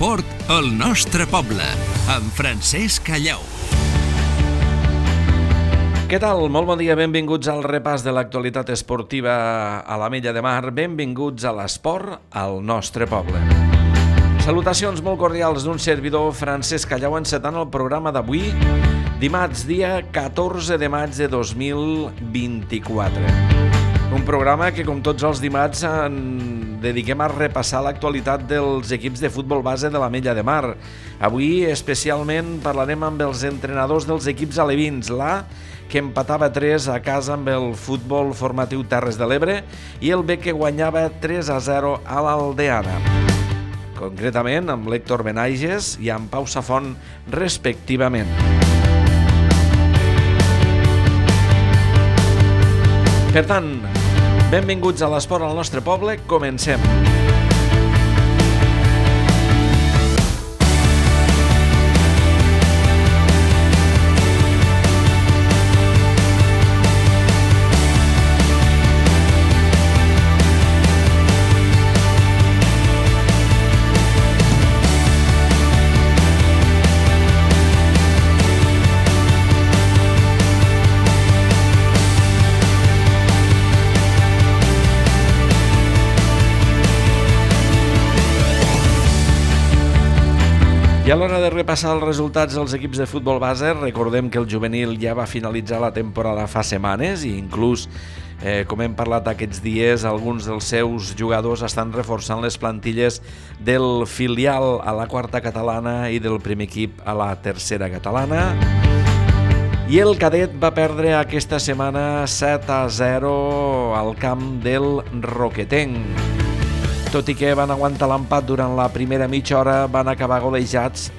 L'esport al nostre poble, amb Francesc Callau. Què tal? Molt bon dia, benvinguts al repàs de l'actualitat esportiva a l'Ametlla de Mar. Benvinguts a l'esport al nostre poble. Salutacions molt cordials d'un servidor, Francesc Callau, encetant el programa d'avui, dimarts, dia 14 de maig de 2024. Un programa que, com tots els dimarts, dediquem a repassar l'actualitat dels equips de futbol base de l'Ametlla de Mar. Avui, especialment, parlarem amb els entrenadors dels equips alevins, que empatava 3 a casa amb el futbol formatiu Terres de l'Ebre, i el B, que guanyava 3-0 a l'Aldeana. Concretament amb l'Héctor Benaiges i amb Pau Safont, respectivament. Per tant, benvinguts a l'esport al nostre poble, comencem. I a l'hora de repassar els resultats dels equips de futbol base, recordem que el juvenil ja va finalitzar la temporada fa setmanes i inclús, com hem parlat aquests dies, alguns dels seus jugadors estan reforçant les plantilles del filial a la quarta catalana i del primer equip a la tercera catalana. I el cadet va perdre aquesta setmana 7-0 al camp del Roquetenc. Tot i que van aguantar l'empat durant la primera mitja hora, van acabar golejats.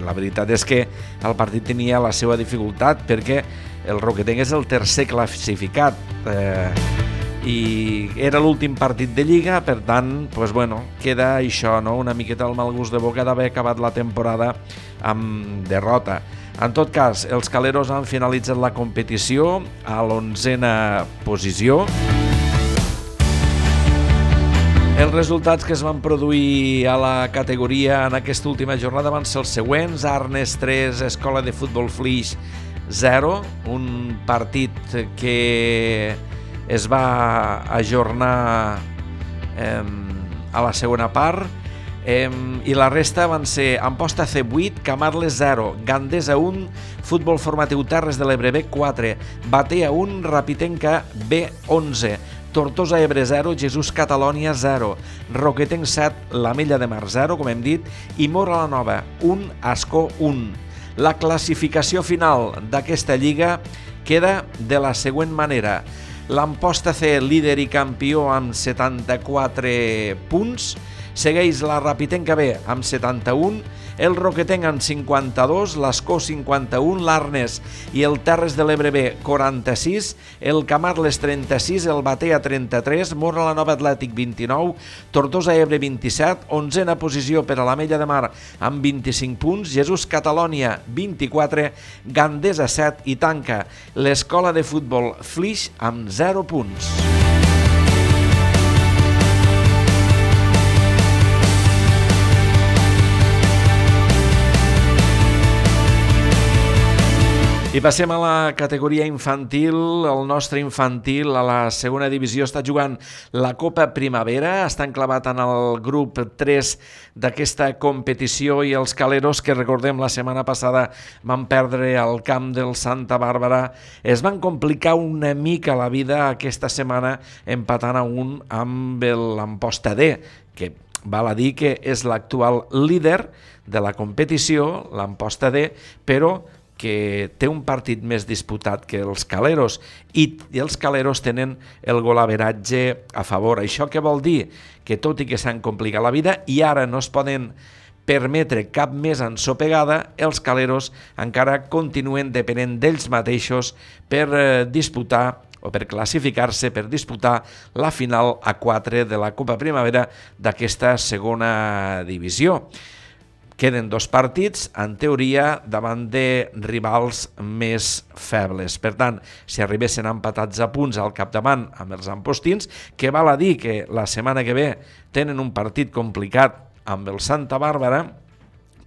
La veritat és que el partit tenia la seva dificultat perquè el Roquetenc és el tercer classificat i era l'últim partit de Lliga, per tant, queda això, una miqueta el mal gust de boca d'haver acabat la temporada amb derrota. En tot cas, els caleros han finalitzat la competició a l'11a posició. Els resultats que es van produir a la categoria en aquesta última jornada van ser els següents: Arnes 3, Escola de Futbol Flix 0, un partit que es va ajornar a la segona part, i la resta van ser Amposta C8, Camarles 0, Gandesa 1, Futbol Formatiu Terres de l'Ebre B 4, Batea 1, Rapitenca B 11, Tortosa Ebre 0, Jesús Catalònia 0, Roquetenc 7, l'Ametlla de Mar 0, com hem dit, i Móra la Nova 1, Ascó 1. La classificació final d'aquesta lliga queda de la següent manera. L'Amposta C, líder i campió amb 74 punts, segueix la Rapitenca B amb 71, el Roquetenc amb 52, l'Ascó 51, l'Arnes i el Terres de l'Ebre B 46, el Camarles 36, el Batea 33, Móra la Nova Atlètic 29, Tortosa Ebre 27, 11a posició per a l'Ametlla de Mar amb 25 punts, Jesús Catalònia 24, Gandesa 7 i tanca l'Escola de Futbol Flix amb 0 punts. I passem a la categoria infantil. El nostre infantil a la segona divisió està jugant la Copa Primavera, està enclavat en el grup 3 d'aquesta competició, i els caleros, que recordem la setmana passada van perdre al camp del Santa Bàrbara, es van complicar una mica la vida aquesta setmana empatant a 1 amb l'Amposta D, que val a dir que és l'actual líder de la competició, l'Amposta D, però que té un partit més disputat que els caleros, i els caleros tenen el golaveratge a favor. Això què vol dir? Que tot i que s'han complicat la vida i ara no es poden permetre cap més ensopegada, els caleros encara continuen depenent d'ells mateixos per disputar o per classificar-se, per disputar la final a 4 de la Copa Primavera d'aquesta segona divisió. Queden 2 partits, en teoria, davant de rivals més febles. Per tant, si arribessin empatats a punts al capdavant amb els ampostins, que val a dir que la setmana que ve tenen un partit complicat amb el Santa Bàrbara,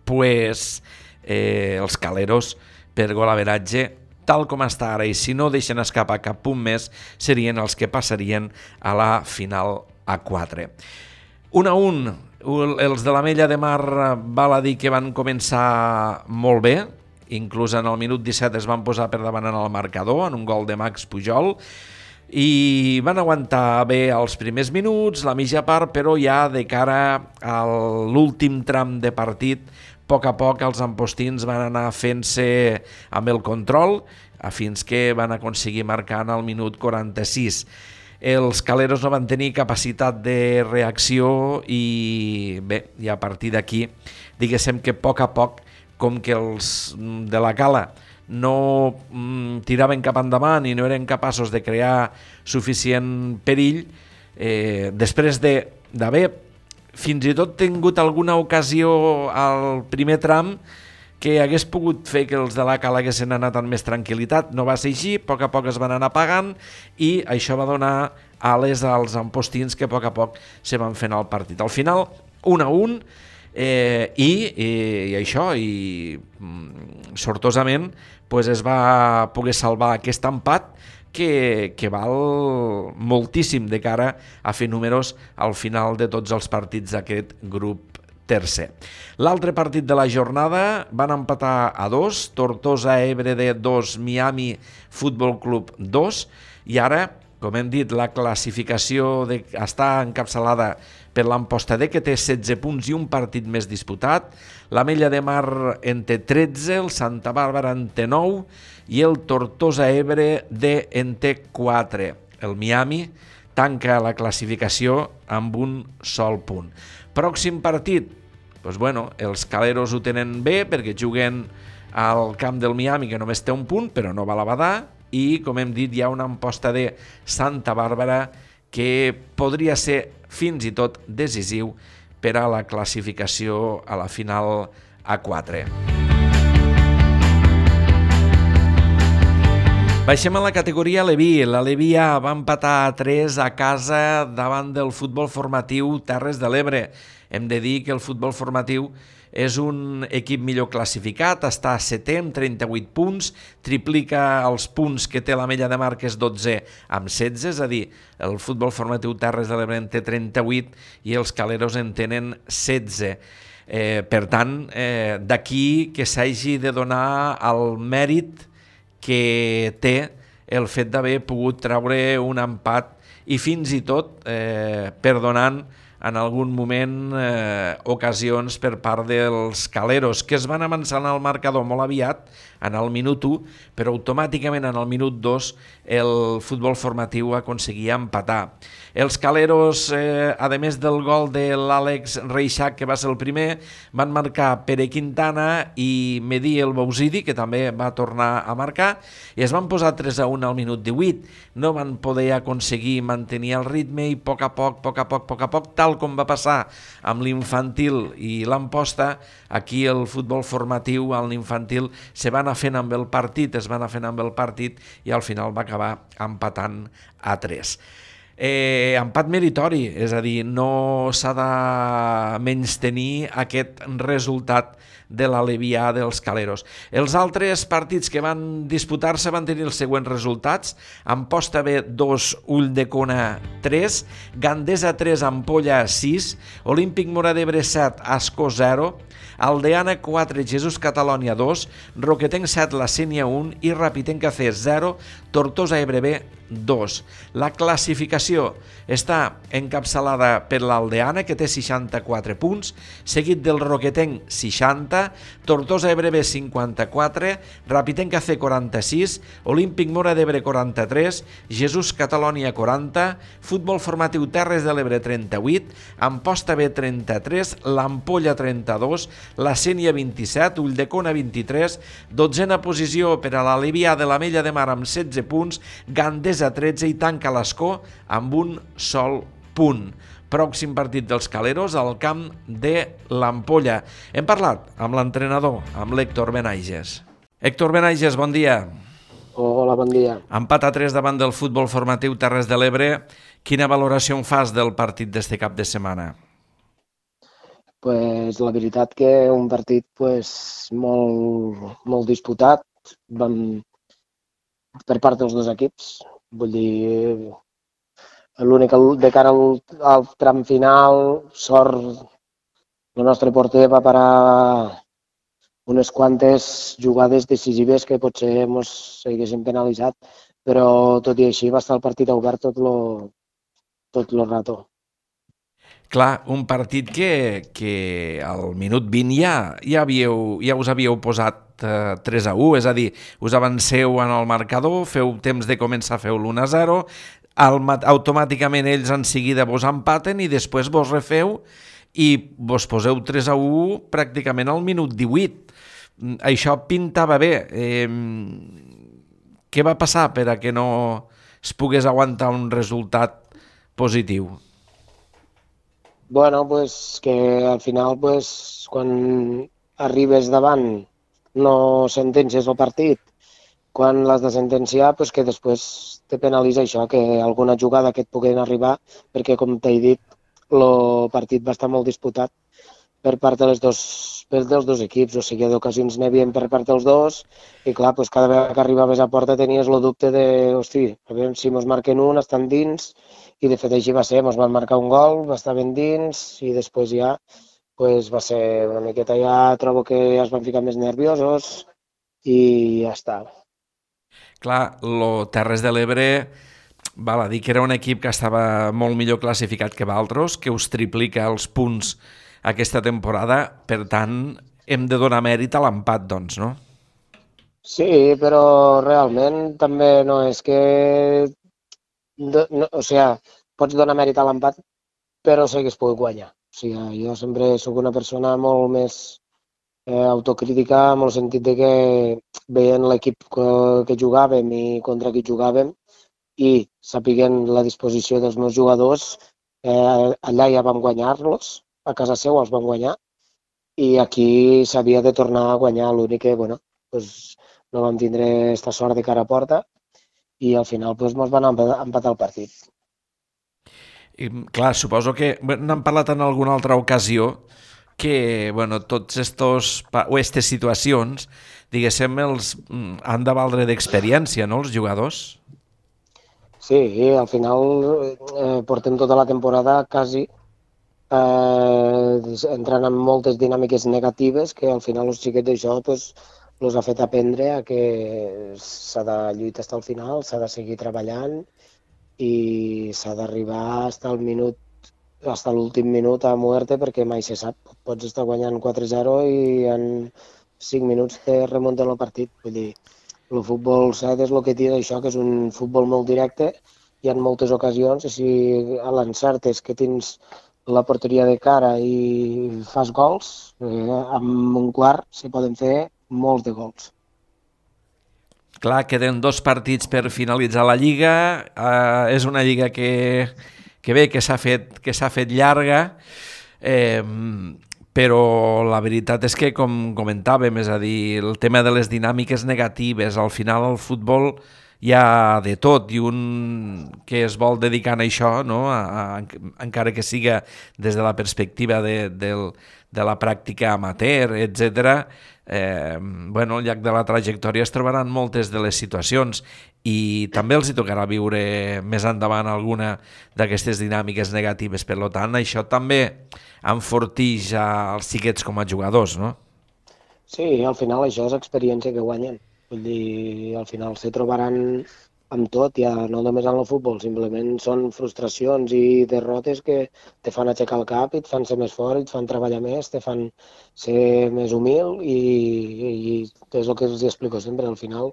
pues, els Caleros, per golaveratge, tal com està ara, i si no deixen escapar cap punt més, serien els que passarien a la final a 4. 1-1, els de l'Ametlla de Mar val a dir que van començar molt bé, inclús en el minut 17 es van posar per davant en el marcador, en un gol de Max Pujol, i van aguantar bé els primers minuts, la mitja part, però ja de cara a l'últim tram de partit, a poc els ampostins van anar fent-se amb el control fins que van aconseguir marcar en el minut 46. Els Caleros no van tenir capacitat de reacció i bé, i a partir d'aquí, diguéssim que a poc, com que els de la Cala no tiraven cap endavant i no eren capaços de crear suficient perill, després d'haver fins i tot tingut alguna ocasió al primer tram que hagués pogut fer que els de la Cala haguessin anat amb més tranquil·litat. No va ser així, a poc es van anar apagant i això va donar ales als ampostins que a poc se van fent el partit. Al final, 1-1, i això, i sortosament pues es va poder salvar aquest empat que val moltíssim de cara a fer números al final de tots els partits d'aquest grup tercer. L'altre partit de la jornada van empatar a 2, Tortosa Ebre de 2, Miami Futbol Club 2, i ara, com hem dit, la classificació està encapçalada per l'Amposta D, que té 16 punts i un partit més disputat, l'Ametlla de Mar en té 13, el Santa Bàrbara en té 9 i el Tortosa Ebre D en té 4. El Miami tanca la classificació amb un sol punt. Pròxim partit, doncs bueno, els Caleros ho tenen bé perquè juguen al camp del Miami, que només té un punt, però no va a la Badà, i, com hem dit, hi ha una Amposta de Santa Bàrbara que podria ser fins i tot decisiu per a la classificació a la final a 4. Baixem a la categoria Leví. La Leví A va empatar a 3 a casa davant del futbol formatiu Terres de l'Ebre. Hem de dir que el futbol formatiu és un equip millor classificat, està a 7è amb 38 punts, triplica els punts que té l'Ametlla de Mar, que és 12 amb 16, és a dir, el futbol formatiu Terres de l'Ebre en té 38 i els Caleros en tenen 16. Per tant, d'aquí que s'hagi de donar el mèrit que té el fet d'haver pogut treure un empat i fins i tot perdonant en algun moment ocasions per part dels Caleros, que es van avançar en el marcador molt aviat, en el minut 1, però automàticament en el minut 2 el futbol formatiu aconseguia empatar. Els Caleros, a més del gol de l'Àlex Reixac, que va ser el primer, van marcar Pere Quintana i Mehdi El Bouzidi, que també va tornar a marcar, i es van posar 3-1 al minut 18. No van poder aconseguir mantenir el ritme i a poc, tal com va passar amb l'infantil i l'Amposta, aquí el futbol formatiu, a l'infantil, se va anar fent amb el partit, i al final va acabar empatant a 3. Empat meritori, és a dir, no s'ha de menystenir aquest resultat de la Leví A dels Caleros. Els altres partits que van disputar-se van tenir els següents resultats: Amposta B 2, Ulldecona 3, Gandesa 3, Ampolla 6, Olímpic Móra d'Ebre 7, Ascó 0, Aldeana 4, Jesús Catalònia 2, Roquetenc 7, La Sénia 1 i Rapitenca C 0, Tortosa Ebre B 2. La classificació està encapçalada per l'Aldeana, que té 64 punts, seguit del Roquetenc 60, Tortosa Ebre B 54, Rapitenca C 46, Olímpic Móra d'Ebre 43, Jesús Catalònia 40, Futbol Formatiu Terres de l'Ebre 38, Amposta B 33, l'Ampolla 32, La Sénia 27, Ulldecona 23, 12a posició per a la Leví A de l'Ametlla de Mar amb 16 punts, Gandesa 13 i tanca l'Ascó amb un sol punt. Pròxim partit dels Caleros al camp de l'Ampolla. Hem parlat amb l'entrenador, amb l'Héctor Benaiges. Héctor Benaiges, bon dia. Hola, bon dia. Empat a 3 davant del futbol formatiu Terres de l'Ebre. Quina valoració en fas del partit d'este cap de setmana? Pues, la veritat que un partit molt disputat per part dels dos equips. Vull dir, l'únic de cara al tram final, sort, el nostre porter va parar unes quantes jugades decisives que potser ens haguessin penalitzat, però tot i així va estar el partit obert tot lo rato. Clar, un partit que al minut 20 ja us havíeu posat 3-1, és a dir, us avanceu en el marcador, feu temps de començar, feu l'1-0, automàticament ells en seguida vos empaten i després vos refeu i vos poseu 3-1 pràcticament al minut 18. Això pintava bé. Què va passar per a que no es pogués aguantar un resultat positiu? Bueno, pues que al final, pues, quan arribes davant no sentencies el partit. Quan l'has de sentenciar, pues que després te penalitza això, que alguna jugada que et puguen arribar, perquè, com t'he dit, el partit va estar molt disputat per part dels dos equips, o sigui, d'ocasions n'hi havia per part dels dos, i clar, pues, cada vegada que arribaves a porta tenies el dubte de, hosti, a veure si mos marquen un, estan dins, i de fet així va ser, mos van marcar un gol, va estar ben dins, i després ja pues, va ser una miqueta, ja trobo que ja es van ficar més nerviosos, i ja està. Clar, el Terres de l'Ebre, val a dir que era un equip que estava molt millor classificat que Valtros, que us triplica els punts aquesta temporada, per tant, hem de donar mèrit a l'empat, doncs, no? Sí, però realment també no és que... o sigui, pots donar mèrit a l'empat, però s'hagués pogut guanyar. O sigui, jo sempre sóc una persona molt més autocrítica, en el sentit de que veient l'equip que jugàvem i contra qui jugàvem i sapiguent la disposició dels meus jugadors, allà ja vam guanyar-los, a casa seu els vam guanyar, i aquí s'havia de tornar a guanyar. L'únic que, bueno, pues, no vam tindre aquesta sort de cara a porta i al final pues, ens van empatar el partit. I, clar, suposo que n'hem parlat en alguna altra ocasió que, bueno, tots aquestes situacions, diguéssim, han de valdre d'experiència, no, els jugadors? Sí, al final portem tota la temporada quasi entrant en moltes dinàmiques negatives que al final els xiquets d'això pues, els ha fet aprendre a que s'ha de lluitar fins al final, s'ha de seguir treballant i s'ha d'arribar fins a l'últim minut a muerte, perquè mai se sap. Pots estar guanyant 4-0 i en 5 minuts te remunten el partit. Vull dir, el futbol 7 és el que té això, que és un futbol molt directe, hi ha moltes ocasions, i si a l'encert és que tens la porteria de cara i fas gols, amb un quart se poden fer molts de gols. Clar, queden 2 partits per finalitzar la Lliga. És una Lliga que bé, que s'ha fet llarga, però la veritat és que, com comentàvem, és a dir, el tema de les dinàmiques negatives, al final el futbol hi ha de tot, i un que es vol dedicar a això, no? Encara que siga des de la perspectiva de la pràctica amateur, etc., al llarg de la trajectòria es trobaran moltes de les situacions i també els hi tocarà viure més endavant alguna d'aquestes dinàmiques negatives. Per tant, això també enfortix els xiquets com a jugadors, no? Sí, al final això és experiència que guanyen. Vull dir, al final se trobaran amb tot, ja no només en el futbol, simplement són frustracions i derrotes que te fan aixecar el cap i et fan ser més fort, et fan treballar més, te fan ser més humil i és el que els explico sempre, al final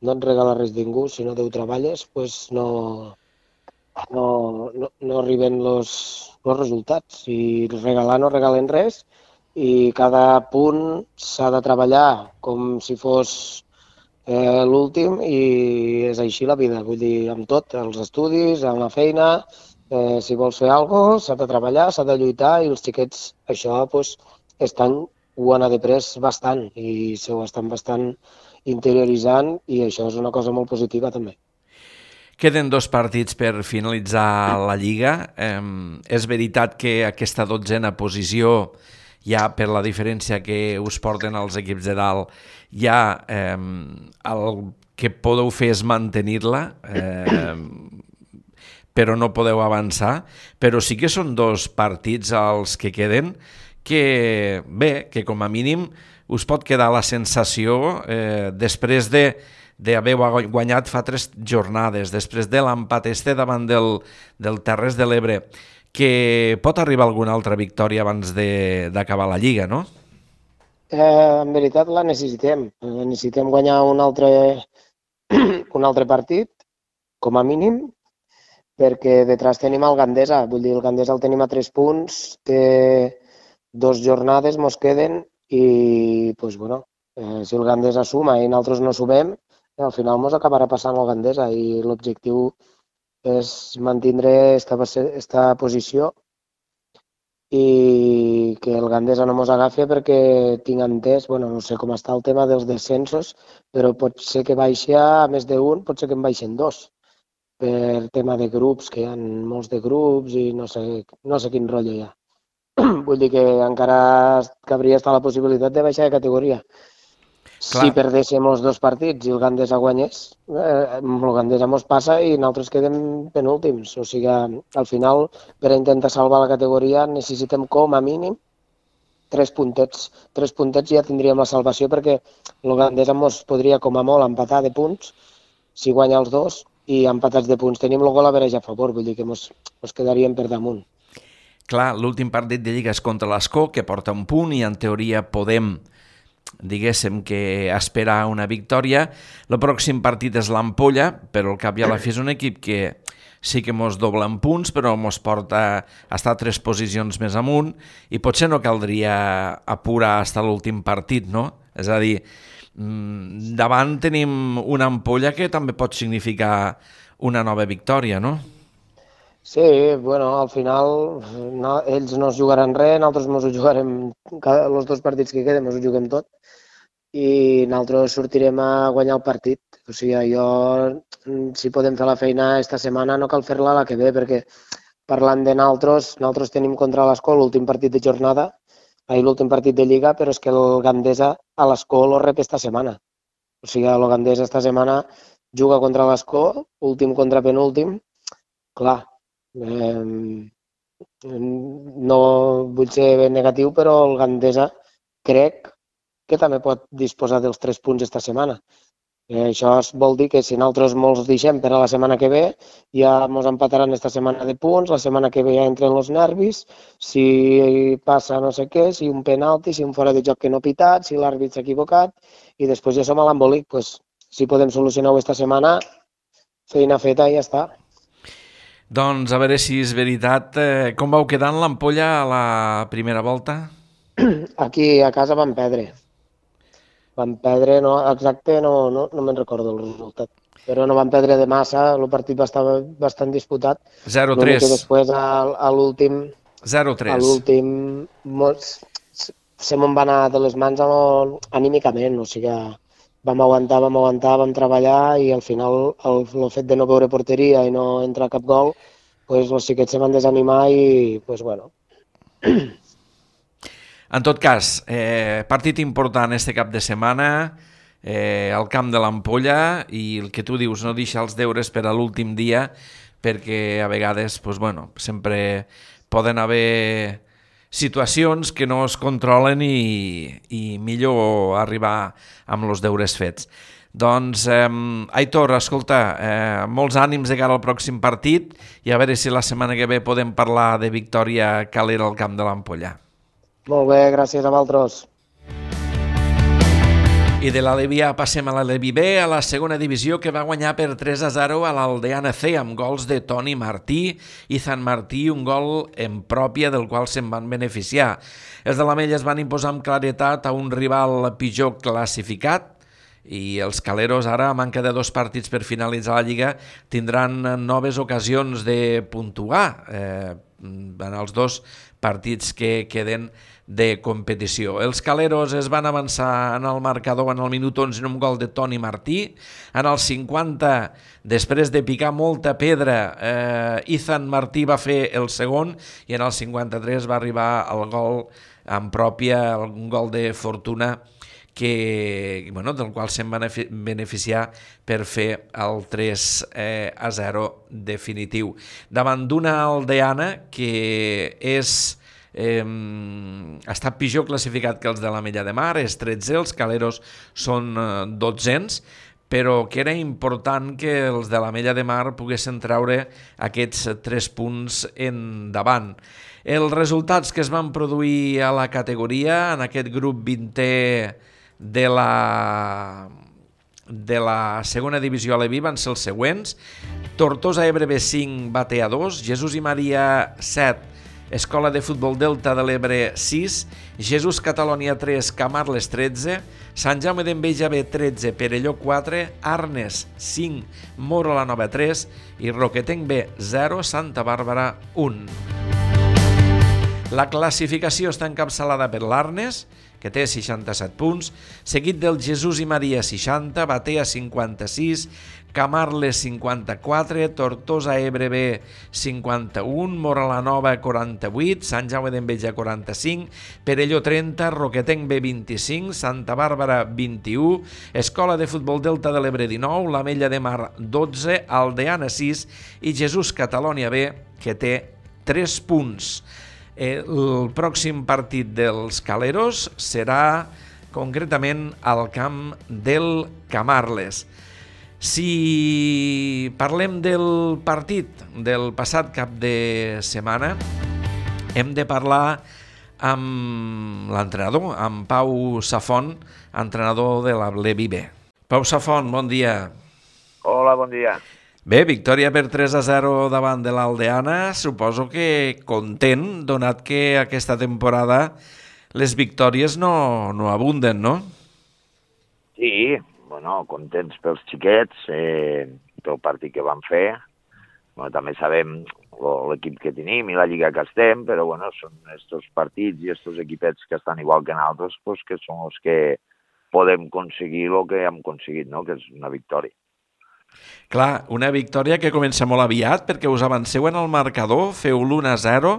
no et regala res ningú, si no ho treballes, pues no arriben els resultats, i regalar no regalen res i cada punt s'ha de treballar com si fos l'últim, i és així la vida, vull dir, amb tot, els estudis, amb la feina, si vols fer alguna cosa, s'ha de treballar, s'ha de lluitar, i els xiquets això pues, ho han après bastant i s'ho estan bastant interioritzant, i això és una cosa molt positiva també. Queden 2 partits per finalitzar la Lliga. És veritat que aquesta 12a posició ja per la diferència que us porten els equips de dalt, ja el que podeu fer és mantenir-la, però no podeu avançar, però sí que són 2 partits els que queden que, bé, que com a mínim us pot quedar la sensació després d'haver guanyat fa 3 jornades, després de l'empat davant del Terres de l'Ebre, que pot arribar alguna altra victòria abans d'acabar la Lliga, no? En veritat la necessitem. Necessitem guanyar un altre partit, com a mínim, perquè detrás tenim el Gandesa. Vull dir, el Gandesa el tenim a 3 punts, té 2 jornades, mos queden, i pues, bueno, si el Gandesa suma i nosaltres no sumem, al final mos acabarà passant el Gandesa i l'objectiu és mantindre esta posició i que el Gandesa no mos agafi perquè tinc entès, bueno, no sé com està el tema dels descensos, però pot ser que baixi a més d'un, pot ser que en baixen 2, per tema de grups, que hi ha molts de grups i no sé quin rotllo hi ha. Vull dir que encara cabria estar la possibilitat de baixar de categoria. Clar. Si perdéssim els 2 partits i el Gandesa guanyés, el Gandesa mos passa i nosaltres quedem penúltims. O sigui, al final, per intentar salvar la categoria, necessitem com a mínim 3 puntets. 3 puntets ja tindríem la salvació perquè el Gandesa mos podria com a molt empatar de punts si guanya els 2 i empatats de punts. Tenim el gol a vereja a favor, vull dir que mos quedaríem per damunt. Clar, l'últim partit de Lliga és contra l'Escó, que porta 1 punt i en teoria podem, diguéssim, que esperar una victòria. El pròxim partit és l'Ampolla, però al cap i a la fi és un equip que sí que mos dobla en punts, però mos porta a estar 3 posicions més amunt i potser no caldria apurar fins a l'últim partit, no? És a dir, davant tenim una Ampolla que també pot significar una nova victòria, no? Sí, bueno, al final ells no es jugaran res, nosaltres ens ho jugarem, els 2 partits que queden ens ho juguem tot i nosaltres sortirem a guanyar el partit. O sigui, si podem fer la feina esta setmana no cal fer-la la que ve, perquè parlant de nosaltres tenim contra l'Escó l'últim partit de jornada, l'últim partit de Lliga, però és que el Gandesa a l'Escó lo rep esta setmana. O sigui, el Gandesa esta setmana juga contra l'Escó, últim contra penúltim, clar. No vull ser ben negatiu, però el Gandesa crec que també pot disposar dels 3 punts esta setmana. Això vol dir que si nosaltres molts deixem per a la setmana que ve, ja ens empataran esta setmana de punts, la setmana que ve ja entren els nervis, si passa no sé què, si un penalti, si un fora de joc que no ha pitat, si l'àrbit s'ha equivocat, i després ja som a l'embolic. Pues, si podem solucionar-ho esta setmana, feina feta i ja està. Doncs a veure si és veritat. Com vau quedar en l'Ampolla a la primera volta? Aquí a casa vam perdre. Vam perdre, no, exacte, no me'n recordo el resultat. Però no vam perdre de massa, el partit va estar bastant disputat. 0-3. L'únic que després a l'últim... 0-3. A l'últim se me'n va anar de les mans anímicament, o sigui, vam aguantar, vam treballar i al final el fet de no veure porteria i no entrar cap gol, pues, els xiquets se van desanimar i, pues, bueno. En tot cas, partit important este cap de setmana, al camp de l'Ampolla, i el que tu dius, no deixar els deures per a l'últim dia, perquè a vegades, pues, bueno, sempre poden haver situacions que no es controlen i millor arribar amb els deures fets. Doncs, Aitor, escolta, molts ànims de cara al pròxim partit i a veure si la setmana que ve podem parlar de victòria calera al camp de l'Ampolla. Molt bé, gràcies a vosaltres. I de l'Alevi A passem a l'Alevi B, a la segona divisió, que va guanyar per 3-0 a l'Aldeana C amb gols de Toni Martí i Zan Martí, un gol en pròpia del qual se'n van beneficiar. Els de l'Amell es van imposar amb claretat a un rival pitjor classificat i els caleros ara, a manca de 2 partits per finalitzar la Lliga, tindran noves ocasions de puntuar. en els 2 partits que queden de competició. Els Caleros es van avançar en el marcador en el minut 11 en un gol de Toni Martí. En el 50, després de picar molta pedra, Ethan Martí va fer el segon i en el 53 va arribar el gol en pròpia, un gol de Fortuna del qual se'n van beneficiar per fer el 3-0 definitiu. Davant d'una aldeana que està pitjor classificat que els de l'Ametlla de Mar, és 13, els Caleros són 12, però que era important que els de l'Ametlla de Mar poguessin treure aquests 3 punts endavant. Els resultats que es van produir a la categoria, en aquest grup 20è de la segona divisió a l'Evi, van ser els següents: Tortosa Ebre B5, Batea 2, Jesús i Maria 7, Escola de Futbol Delta de l'Ebre 6, Jesús Catalònia 3, Camarles 13, Sant Jaume d'Enveja B 13, Perelló 4, Arnes 5, Moro la Nova 3 i Roquetenc B 0, Santa Bàrbara 1. La classificació està encapçalada per l'Arnes, que té 67 punts, seguit del Jesús i Maria 60, Batea 56, Camarles 54, Tortosa Ebre B 51, Mora la Nova 48, Sant Jaume d'Enveja 45, Perelló 30, Roquetenc B 25, Santa Bàrbara 21, Escola de Futbol Delta de l'Ebre 19, l'Ametlla de Mar 12, Aldeana 6 i Jesús Catalònia B, que té 3 punts. El pròxim partit dels Caleros serà concretament al camp del Camarles. Si parlem del partit del passat cap de setmana, hem de parlar amb l'entrenador, amb Pau Safont, entrenador de la Levi B. Pau Safont, bon dia. Hola, bon dia. Bé, victòria per 3-0 davant de l'Aldeana, suposo que content, donat que aquesta temporada les victòries no abunden, no? Sí, bueno, contents pels xiquets, pel partit que van fer. Bueno, també sabem l'equip que tenim i la lliga que estem, però bueno, són estos partits i estos equipets que estan igual que nosaltres, pues, que són els que podem aconseguir el que hem aconseguit, no? Que és una victòria. Clar, una victòria que comença molt aviat perquè us avanceu en el marcador, feu l'1-0,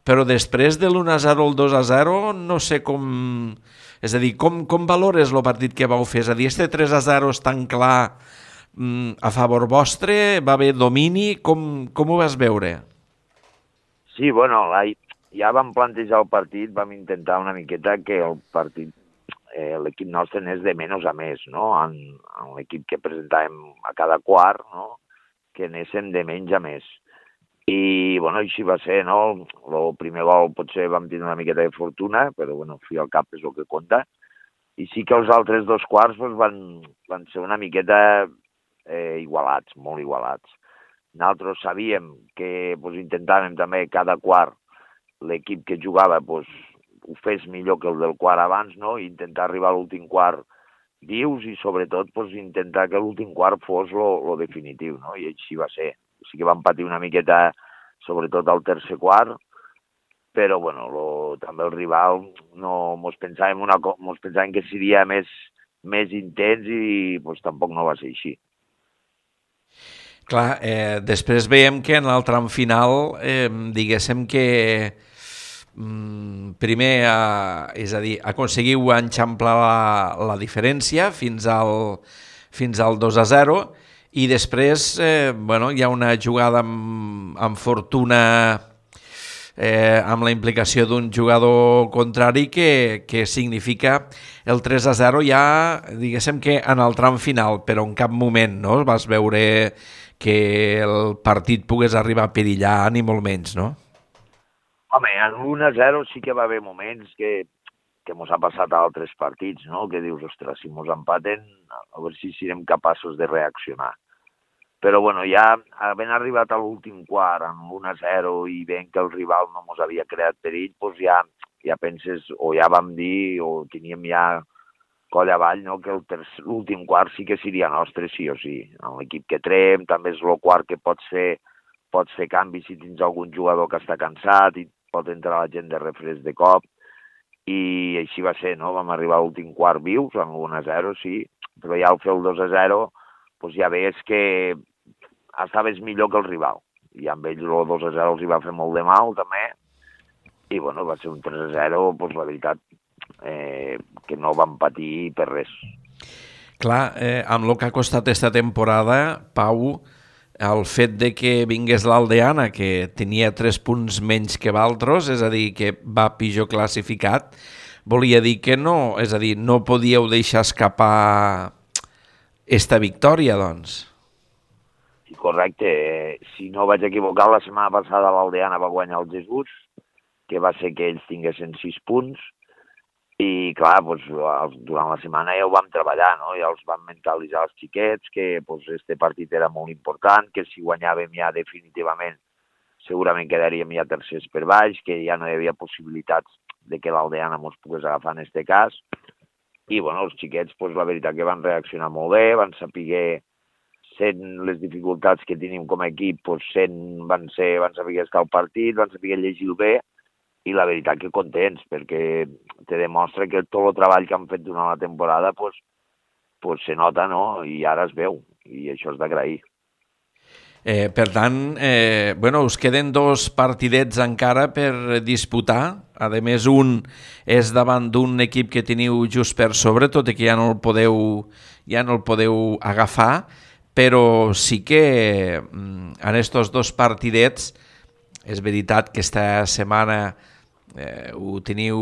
però després de l'1-0 al 2-0 no sé com... És a dir, com valores el partit que vau fer? És a dir, este 3-0 és tan clar a favor vostre? Va haver domini? Com ho vas veure? Sí, bueno, ja vam plantejar el partit, vam intentar una miqueta que el partit l'equip nostre anés de menys a més, no? En l'equip que presentàvem a cada quart, no? Que anéssim de menys a més. I, bueno, així va ser, no? El primer gol potser vam tenir una miqueta de fortuna, però, bueno, fi al cap és el que compta. I sí que els altres 2 quarts pues, van ser una miqueta igualats, molt igualats. Nosaltres sabíem que pues, intentàvem també cada quart l'equip que jugava pues, ho fes millor que el del quart abans, no? I intentar arribar a l'últim quart vius i sobretot pues, intentar que l'últim quart fos lo definitiu, no? I així va ser. Sí que vam patir una miqueta, sobretot al tercer quart, però bueno, també el rival mos pensàvem que seria més intens i pues, tampoc no va ser així. Clar, després veiem que en el tram final, diguéssim que primer, és a dir, aconseguiu enxamplar la diferència fins al 2-0 i després hi ha una jugada amb fortuna amb la implicació d'un jugador contrari que significa el 3-0 ja, diguéssim que en el tram final, però en cap moment no vas veure que el partit pogués arribar a perillar, ni molt menys, no? Home, en l'1-0 sí que va haver moments que mos ha passat a altres partits, no? Que dius, ostres, si mos empaten, a veure si serem capaços de reaccionar. Però, bueno, ja havent arribat a l'últim quart amb l'1-0 i veient que el rival no mos havia creat perill, doncs ja penses, o ja vam dir, o teníem ja coll avall, no? Que l'últim quart sí que seria nostre, sí o sí. En l'equip que trem, també és el quart que pot ser pots fer canvis si tens algun jugador que està cansat i pot entrar la gent de refresc de cop. I així va ser, no? Vam arribar a l'últim quart vius, amb 1-0, sí, però ja al fer el 2-0, doncs ja veies que estaves millor que el rival. I amb ells el 2-0 els hi va fer molt de mal, també. I, bueno, va ser un 3-0, doncs la veritat, que no vam patir per res. Clar, amb el que ha costat esta temporada, Pau, el fet de que vingués l'Aldeana, que tenia 3 punts menys que Valtros, és a dir, que va pitjor classificat, volia dir que no, és a dir, no podíeu deixar escapar esta victòria, doncs. Sí, correcte. Si no vaig equivocar, la setmana passada l'Aldeana va guanyar el Jesús, que va ser que ells tinguessin 6 punts, i clar, doncs, durant la setmana ja ho vam treballar, no? Ja els vam mentalitzar els xiquets que doncs, este partit era molt important, que si guanyàvem ja definitivament segurament quedaríem ja tercers per baix, que ja no hi havia possibilitats de que l'Aldeana ens pogués agafar en este cas. I bueno, els xiquets, doncs, la veritat que van reaccionar molt bé, van saber, sent les dificultats que tenim com a equip, doncs, van saber estar al partit, van saber llegir-ho bé, i la veritat que contents, perquè te demostra que tot el treball que han fet durant la temporada pues se nota, no? I ara es veu, i això és d'agrair. Per tant, us queden 2 partidets encara per disputar. A més, un és davant d'un equip que teniu just per sobre, tot i que ja no el podeu agafar, però sí que en estos 2 partidets és veritat que esta setmana ho teniu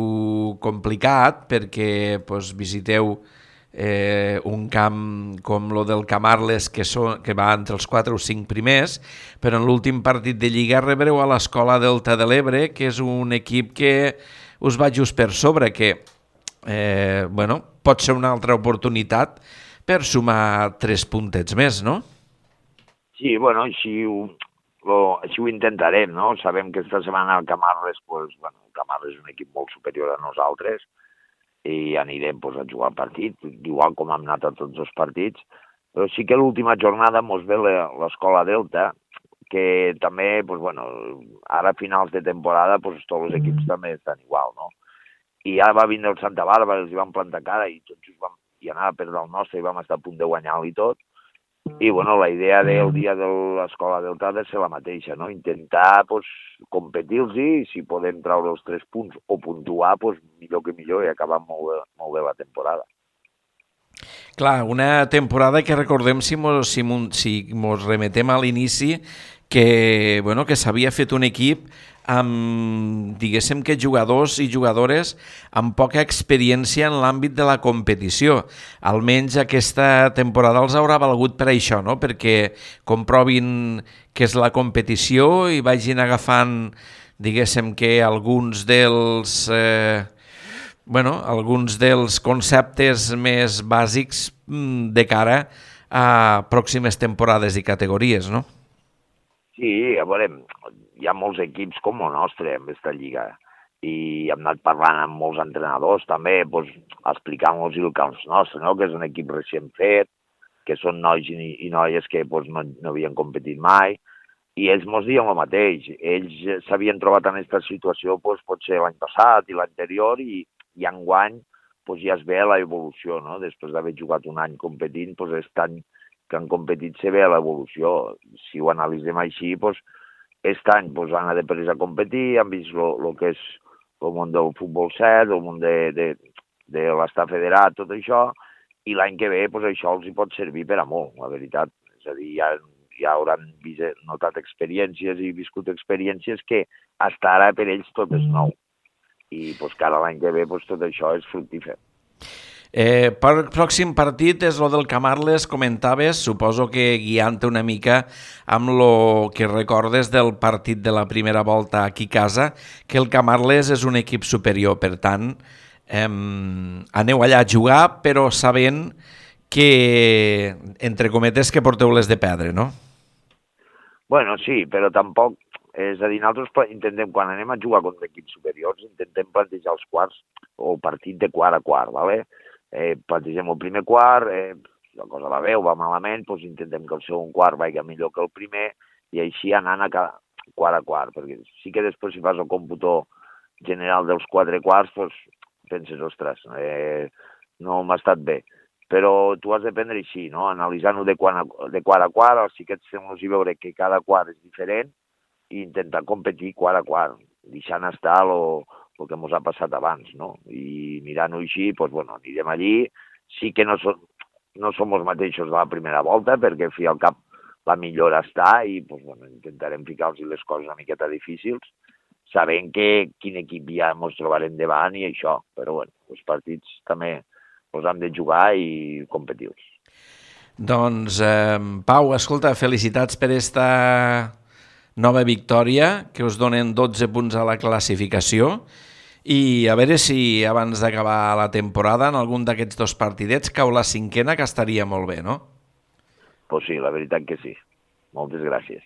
complicat perquè visiteu un camp com lo del Camarles que va entre els 4 o 5 primers, però en l'últim partit de Lliga rebreu a l'Escola Delta de l'Ebre, que és un equip que us va just per sobre, que pot ser una altra oportunitat per sumar 3 puntets més, no? Sí, bueno, així ho intentarem, no? Sabem que esta setmana el Camarles, el Camarles és un equip molt superior a nosaltres i anirem a jugar el partit, igual com hem anat a tots els partits, però sí que l'última jornada ens ve l'Escola Delta, que també, ara a finals de temporada, tots els equips també estan igual, no? I ara va vindre el Santa Bàrbara, els hi vam plantar cara i tots i anava a perdre el nostre i vam estar a punt de guanyar-lo i tot. I, la idea del dia de l'Escola Delta ha de ser la mateixa, no? Intentar, competir-los i si podem treure els 3 punts o puntuar, millor que millor i acabar molt bé la temporada. Clar, una temporada que recordem, si mos remetem a l'inici, que s'havia fet un equip amb, diguéssim que jugadors i jugadores amb poca experiència en l'àmbit de la competició. Almenys aquesta temporada els haurà valgut per això, no? Perquè comprovin què és la competició i vagin agafant, diguéssim que alguns dels conceptes més bàsics de cara a pròximes temporades i categories, no? Sí, a veure, hi ha molts equips com el nostre en aquesta lliga i hem anat parlant amb molts entrenadors també, explicant-los el que és nostre, no? Que és un equip recient fet, que són nois i noies que no havien competit mai, i ells ens diuen el mateix. Ells s'havien trobat en aquesta situació potser l'any passat i l'anterior i enguany ja es ve l'evolució, no? Després d'haver jugat un any competint, aquest any que han competit se ve l'evolució. Si ho analitzem així, aquest any han après a competir, han vist el que és el món del futbol 7, el món de l'estar federat, tot això, i l'any que ve això els hi pot servir per a molt, la veritat. És a dir, ja hauran notat experiències i viscut experiències que fins ara per ells tot és nou. I que ara l'any que ve tot això és fructífer. Per pròxim partit és el del Camarles, comentaves, suposo que guiant-te una mica amb el que recordes del partit de la primera volta aquí a casa, que el Camarles és un equip superior, per tant, aneu allà a jugar, però sabent que, entre cometes, que porteu les de perdre, no? Bueno, sí, però tampoc, és a dir, nosaltres intentem, quan anem a jugar contra equips superiors, intentem plantejar els quarts o partit de quart a quart, ¿vale? Plantegem el primer quart, la cosa va bé o va malament, intentem que el segon quart vagi millor que el primer i així anant a quart a quart, perquè sí que després si fas el còmputo general dels 4 quarts, doncs penses, ostres, no m'ha estat bé. Però tu has de prendre així, no? Analitzant-ho de quart a quart, els xiquets fem-los veure que cada quart és diferent i intentar competir quart a quart, deixant estar el que ens ha passat abans, no? I mirant-ho així, doncs, bueno, anirem allí. Sí que no som els mateixos de la primera volta, perquè al fi i al cap la millora està i doncs, bueno, intentarem ficar-los les coses una miqueta difícils, sabent que quin equip ja ens trobarem davant i això. Però bueno, els partits també els hem de jugar i competir-los. Doncs, Pau, escolta, felicitats per esta nova victòria, que us donen 12 punts a la classificació, i a veure si abans d'acabar la temporada en algun d'aquests 2 partidets cau la 5ª, que estaria molt bé, no? Pues sí, la veritat que sí. Moltes gràcies.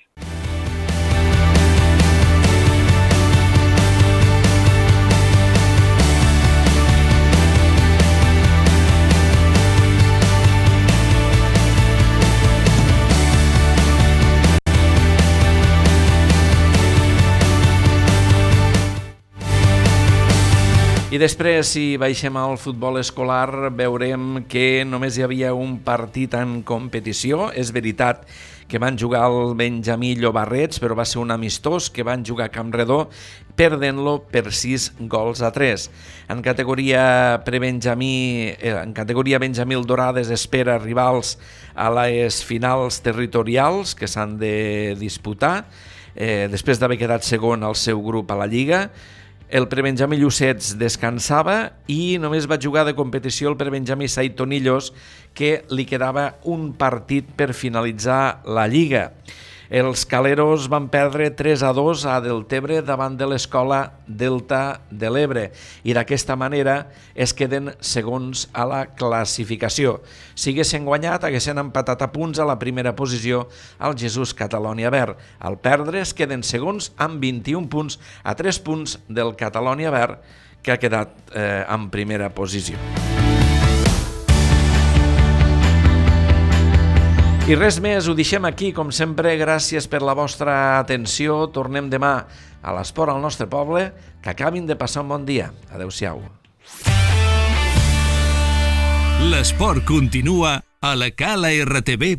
I després, si baixem al futbol escolar, veurem que només hi havia un partit en competició. És veritat que van jugar el Benjamí Llobarrets, però va ser un amistós que van jugar a Campredó, perdent-lo per 6-3. En categoria Benjamí el Dorades espera rivals a les finals territorials que s'han de disputar, després d'haver quedat segon al seu grup a la Lliga. El Prebenjamí Llucets descansava i només va jugar de competició el Prebenjamí Saitonillos, que li quedava un partit per finalitzar la Lliga. Els caleros van perdre 3-2 a Deltebre davant de l'escola Delta de l'Ebre i d'aquesta manera es queden segons a la classificació. Si haguessin guanyat, haguessin empatat a punts a la primera posició al Jesús Catalònia Verd. Al perdre es queden segons amb 21 punts a 3 punts del Catalònia Verd, que ha quedat en primera posició. I res més, ho deixem aquí, com sempre, gràcies per la vostra atenció. Tornem demà a l'Esport al nostre poble. Que acabin de passar un bon dia. Adéu-siau. L'esport continua a la calartv.cat.